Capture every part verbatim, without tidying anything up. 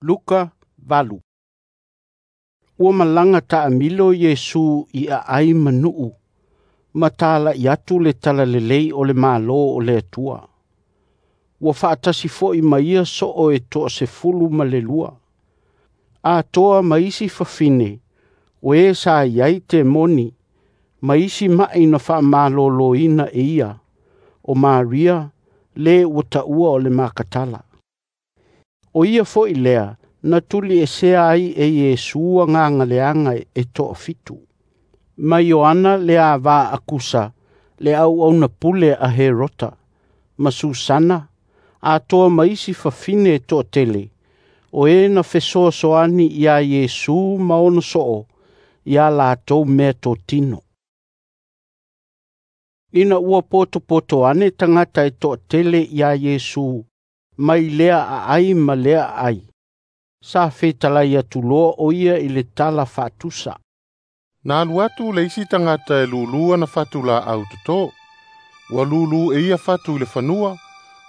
Luka valu. Ua malaga taamilo Iesu i aai ma nuu, ma tala'i atu le Talalelei o le Malo o le Atua. Ua faatasi foi ma ia soo e toasefulu ma le lua, atoa ma isi fafine o e sa i ai temoni ma isi ma'i na faamaloloina e ia, o Maria, le ua taua o le Makatala. O ia foi lea na tuliesea ai e Iesu agaga leaga e toafitu, ma Ioana le ava a Kusa le auauna pule a Herota, ma Susana, atoa ma isi fafine e toatele, o e na fesoasoani ia Iesu ma ona soo ia latou meatotino. Ina ua potopoto ane tagata e toatele ia Iesu mai lea aai ma lea aai, sa fetalai atu loa o ia i le tala faatusa. Na alu atu le isi tagata e lulu ana fatu laau toto. Ua lulu e ia fatu i le fanua,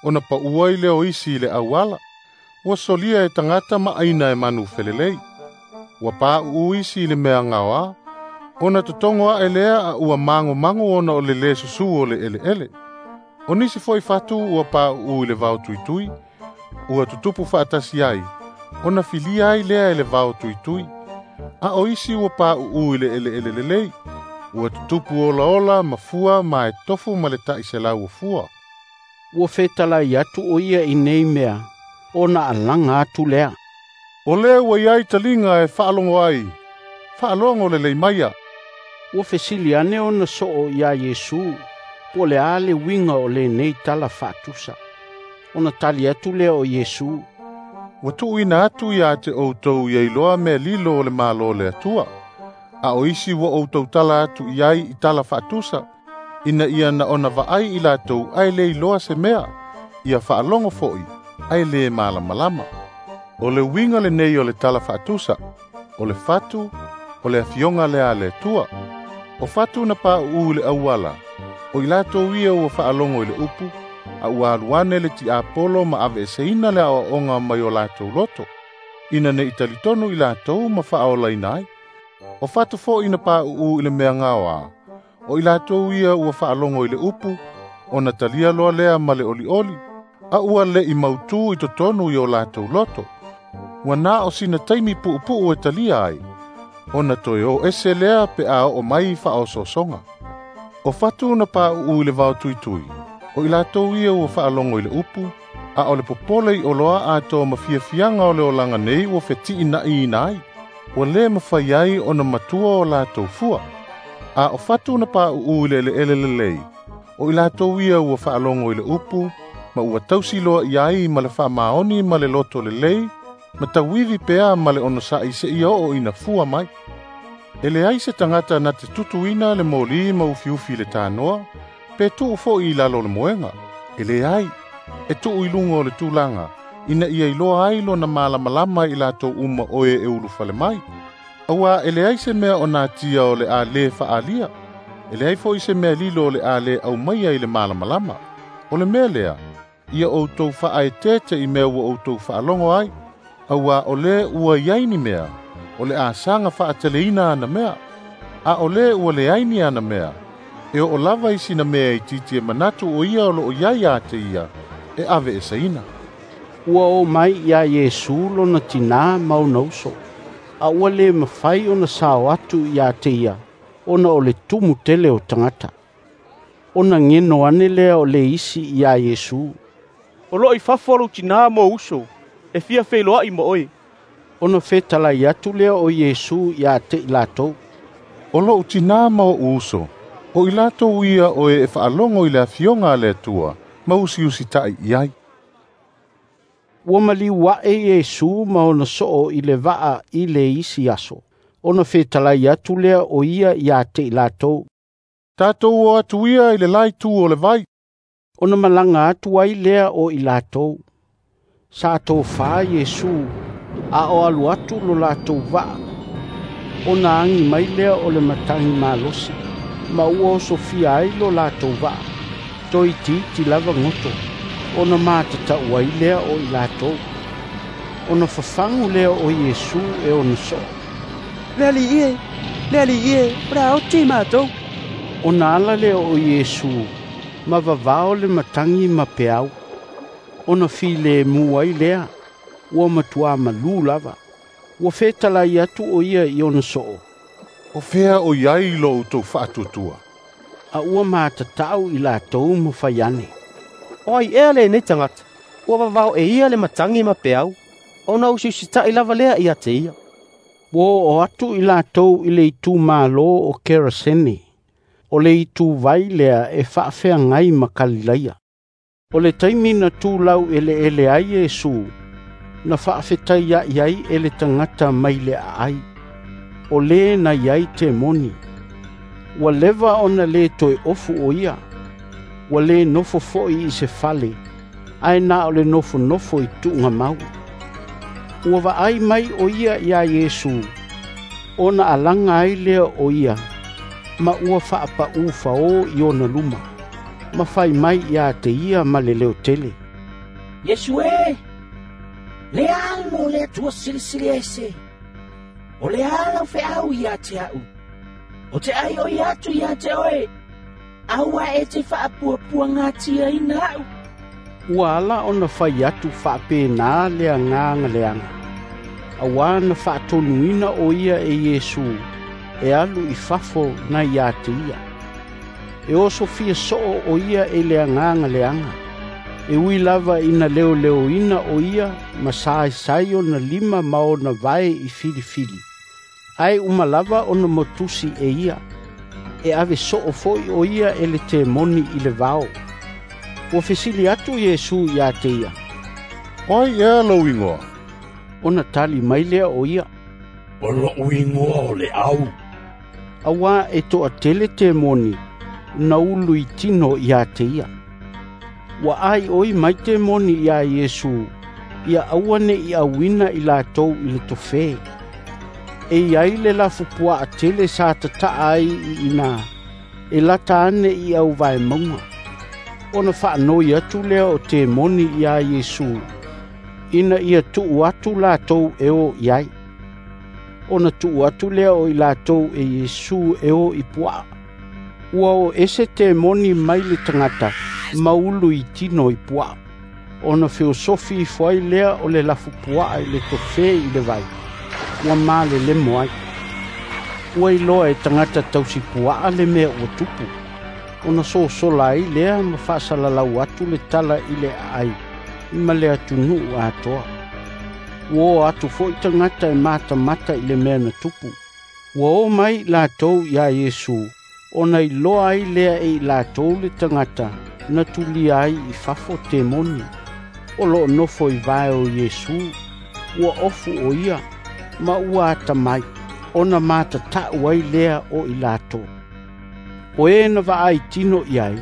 ona paua ai lea o isi i le auala. Ua solia e tagata ma aina e manu felelei. Ua pauu isi i le mea gaoa, ona totogo ae lea a ua magomago ona o le lē susu o le eleele. O nisi foi fatu ua pauu i le vao tuitui, ua tutupu faatasi ai, ona filia ai lea e le vao tuitui. A o isi ua pauu i le eleele lelei, ua tutupu olaola ma fua ma e tofu ma le ta'iselau o fua. Ua fetalai atu o ia i nei mea, ona alaga atu lea. O lea ua iai taliga e faalogo ai, faalogo lelei maia. Ua fesili ane ona soo ia Iesu, po o le a le uiga o lenei tala faatusa. Ona tali atu lea o Iesu, Ua tuuina atu ia te outou ia iloa mea lilo o le Malo o le Atua. A o isi ua outou tala atu i ai i tala faatusa, ina ia na ona vaai i latou ae le iloa se mea, ia faalogo foi ae le malamalama. O le uiga lenei o le tala faatusa, o le fatu, o le afioga lea a le Atua. O fatu na pauu i le auala, o i latou ia ua faalogo i le upu, a ua alu ane le tiapolo ma aveeseina le aoaoga mai o latou loto, ina ne i talitonu i latou ma faaolaina ai. O fatu foi na pauu i le mea gaoa, o i latou ia ua faalogo i le upu, ona talia loa lea ma le olioli, a ua le'i mautū i totonu i o latou loto. Ua na o sina taimi puupuu e talia ai, ona toe o ese lea pe a oo mai faaosoosoga. O fatu na pauu i le vao tuitui, o i latou ia ua faalogo i le upu, a o le popole i oloa atoa ma fiafiaga o le olaga nei ua fetiina'iina ai, ua lē mafai ai ona matua o latou fua. A o fatu na pauu i le eleele lelei, o i latou ia ua faalogo i le upu, ma ua tausi loa i ai ma le faamaoni ma le loto lelei, ma tauivi pea ma le onosa'i seia oo ina fua mai. E leai se tagata na te tutuina le moli ma ufiufi i le tanoa, pe tuu foi i lalo o le moega. E leai, e tuu i luga o le tulaga, ina ia iloa ai lona malamalama i latou uma o e e ulufale mai. Auā e leai se mea o natia o le a lē faaalia, e leai foi se mea lilo o le a lē aumaia i le malamalama. O le mea lea, ia outou faaeteete i mea ua outou faalogo ai, auā o lē ua i ai ni mea, o le a saga faateleina ana mea. A o lē ua leai ni ana mea, e oo lava i sina mea itiiti e manatu o ia o loo iai ia te ia, e aveeseina. Ua o mai ia Iesu lona tinā ma ona uso, a ua le mafai ona sao atu ia te ia, ona o le tumu tele o tagata. Ona geno ane lea o le isi ia Iesu, O loo i fafo lou tinā ma ou uso, e fia feiloai ma oe. Ona fetalai atu lea o Iesu ia te i latou, O lo'u tinā ma oʻu uso, o i latou ia o e e faalogo i le afioga a le Atua, ma usiusita'i i ai. Ua maliu ae Iesu ma ona soo i le vaa i le isi aso, ona fetalai atu lea o ia ia te i latou, Tatou o atu ia i le la itu o le vai. Ona malaga atu ai lea o i latou. Sa tofā Iesu, a o alu atu lo latou vaa. Ona agi mai lea o le matagi malosi, ma ua osofia ai lo latou vaa. Toitiiti lava goto, ona matatau ai lea o i latou. Ona fafagu lea o Iesu e ona soo, “Le Alii e, le Alii e, o le a oti matou!” Ona ala lea o Iesu ma vavao le matagi ma peau, ona filemu ai lea, ua matuā malū lava. Ua fetalai atu o ia i ona soo, “O fea o i ai lo outou faatuatua?” A ua matatau i latou ma fai ane, “O ai ea lenei tagata, ua vavao e ia le matagi ma peau, ona usiusitai lava lea ia te ia?” Ua oo atu i latou i le itumalo o Kerasene, o le ituvai lea e faafeagai ma Kalilaia. O le taimi na tu laueleele ai Iesu, na faafetaiai ai e le tagata mai le aai, o le na i ai temoni. Ua leva ona le toe ofu o ia, ua le nofo foi i se fale, ae na o le nofonofo i tuugamau. Ua vaai mai o ia iā Iesu, ona alaga ai lea o ia, ma ua faapaū fao i ona luma, ma fai mai ia te ia ma le leotele, “Iesu e, le Alo o le Atua Silisili Ese, o le a lau feau ia te a'u? O te ai oi atu ia te oe, aua e te faapuapuagatiaina a'u.” Ua ala ona fai atu faapena le agaga leaga, auā na faatonuina o ia e Iesu e alu i fafo nai ia te ia. E osofia soo o ia e le agaga leaga, e ui lava ina leoleoina o ia ma saesai ona lima ma ona vae i filifili, ae uma lava ona motusi e ia, e ave soo foi o ia e le temoni i le vao. Ua fesili atu Iesu ia te ia, “O ai ea lou igoa?” Ona tali mai lea o ia, “O lo'u igoa o le Au.” Auā e toatele temoni na ulu i tino ia te ia. Ua aioi mai temoni iā Iesu, ia aua ne'i auina i latou i le tofe. E iai le lafupuaa tele sa tataa ai i ina, e lata ane i auvaemauga. Ona faanoi atu lea o temoni iā Iesu, ina ia tuu atu latou e o i ai. Ona tuu atu lea o i latou e Iesu e o i puaa. Ua o ese temoni mai le tagata, ma ulu i tino i puaa. Ona feosofi ifo ai lea o le lafupuaa i le tofe i le vai, ua malelemo ai. Ua iloa e tagata tausipuaa le mea ua tupu, ona sosola ai lea ma faasalalau atu le tala i le aai ma le atunuu atoa. Ua o atu foi tagata e matamata i le mea na tupu. Ua o mai latou iā Iesu, ona iloa ai lea e i latou le tagata na tulia ai i fafo temoni, o loo nofo i vae o Iesu, ua ofu o ia, ma ua atamai, ona matatau ai lea o i latou. O e na vaai tino i ai,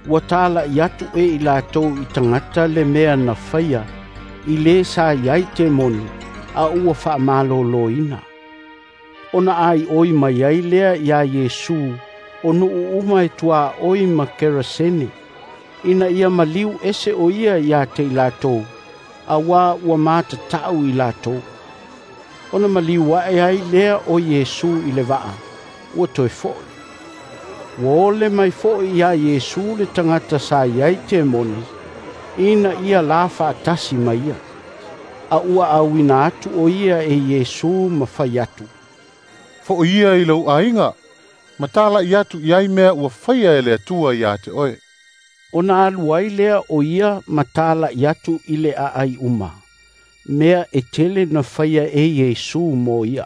ua tala'i atu e i latou i tagata le mea na faia i le sa i ai temoni, a ua faamaloloina. Ona aioi mai ai lea iā Iesu o nuu uma e tuaoi ma Kerasene, ina ia maliu ese o ia ia te i latou, auā ua matatau i latou. Ona maliu ae ai lea o Iesu i le vaa, ua toe fo'i. Ua ole mai foi iā Iesu le tagata sa i ai temoni, ina ia la faatasi ma ia. A ua auina atu o ia e Iesu ma fai atu, “Fo'i ia i lou aiga, ma tala'i atu i ai mea ua faia e le Atua ia te oe.” Ona alu ai lea o ia ma tala'i atu i le aai uma, mea e tele na faia e Iesu mo ia.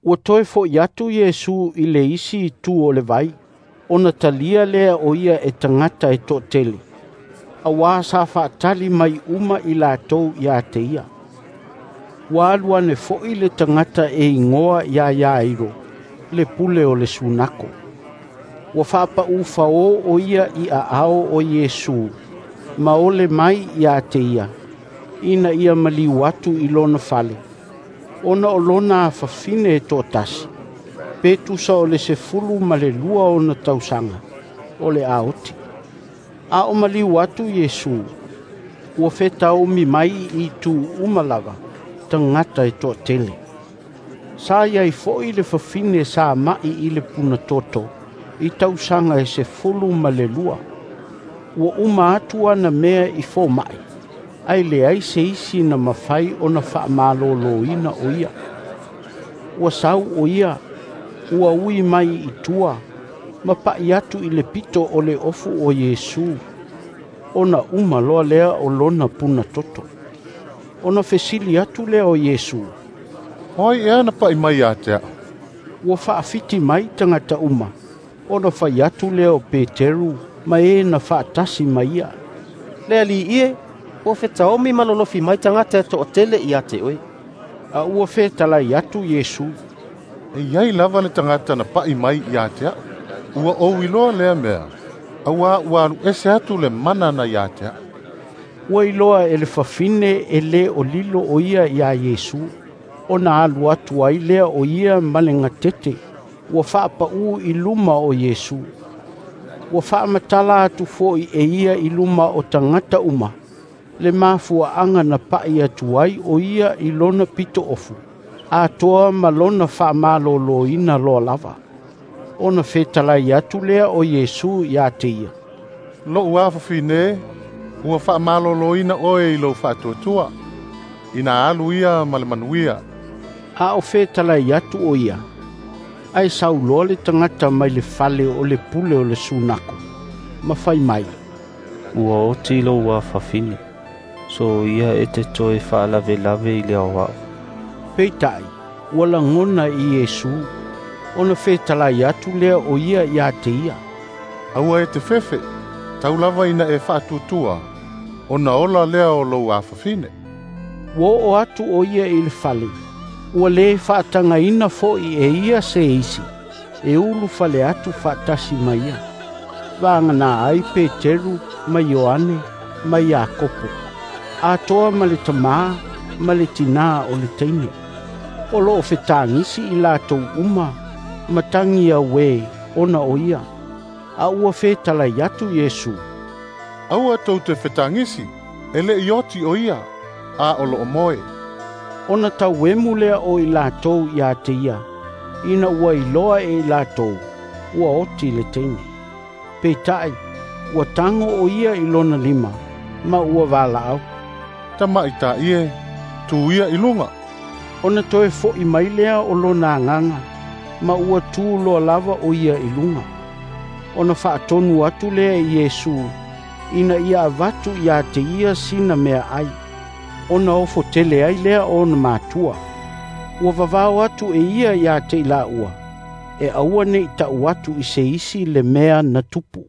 Ua toe fo'i atu Iesu i le isi itu o le vai, ona talia lea o ia e tagata e toatele, auā sa faatali mai uma i latou ia te ia. Ua alu ane foi le tagata e igoa iā Iairo, le pule o le sunako. Ua faapaū fao o ia i aao o Iesu, ma ole mai ia te ia, ina ia maliu atu i lona fale, ona o lona afafine e toatasi, pe tusa o le sefulu ma le lua ona tausaga, o le a oti. A o maliu atu Iesu, Ua fetaomi mai i itu uma lava tagata e toatele. Sa i ai foi le fafine sa ma'i i le punatoto i tausaga e sefulu ma le lua. Ua uma atu ana mea i foma'i, ae leai se isi na mafai ona faamaloloina o ia. Ua sau o ia, ua ui mai i tua, ma pa'i atu i le pito o le ofu o Iesu, ona uma loa lea o lona punatoto. Ona fesili atu lea o Iesu, “O ai ea na pa'i mai ia te a'u?” Ua faafiti mai tagata uma, ona fai atu lea o Peteru ma e na faatasi ma ia, “Le Alii e, ua fetaomi ma lolofi mai tagata e toatele ia te oe.” A ua fetalai atu Iesu, “E i ai lava le tagata na pa'i mai ia te a'u. Ua ou iloa lea mea, auā ua alu ese atu le mana na ia te a'u.” Ua iloa e le fafine e le o lilo o ia iā Iesu, ona alu atu ai lea o ia ma le gatete ua faapaū i luma o Iesu. Ua faamatala atu foi e ia i luma o tagata uma le mafuaaga na pa'i atu ai o ia i lona pitoofu, atoa ma lona faamaloloina loa lava. Ona fetalai atu lea o Iesu ia te ia, “Lo'u afafine, ua faamaloloina oe i lou faatuatua. Ina alu ia ma le manuia.” A o fetalai atu o ia, ae sau loa le tagata mai le fale o le pule o le sunako, ma fai mai, “Ua oti lou afafine. Soia e te toe faalavelave i le Aoao.” Peitai, ua lagona i Iesu, ona fetalai atu lea o ia ia te ia, “Aua e te fefe, tau lava ina e faatuatua, ona ola lea o lou afafine.” Ua oo atu o ia i le fale, ua lē faatagaina foi e ia se isi e ulufale atu faatasi ma ia, vagana ai Peteru ma Ioane ma Iakopo, atoa ma le tamā ma le tinā o le teine. O loo fetagisi i latou uma ma tagi auē ona o ia. A ua fetalai atu Iesu, “Aua tou te fetagisi, e le'i oti o ia, a o loo moe.” Ona tauemu lea o i latou ia te ia, ina ua iloa e i latou ua oti le teine. Peitai, ua tago o ia i lona lima, ma ua valaau, “Tamaita'i e, tu ia i luga.” Ona toe fo'i mai lea o lona agaga, ma ua tu loa lava o ia i luga. Ona faatonu atu lea i Iesu, ina ia avatu ia te ia sina meaai, ona ofo tele ai lea o ona matua. Ua vavao atu e ia ia te i laua, e aua ne i ta'u atu i se isi le mea na tupu.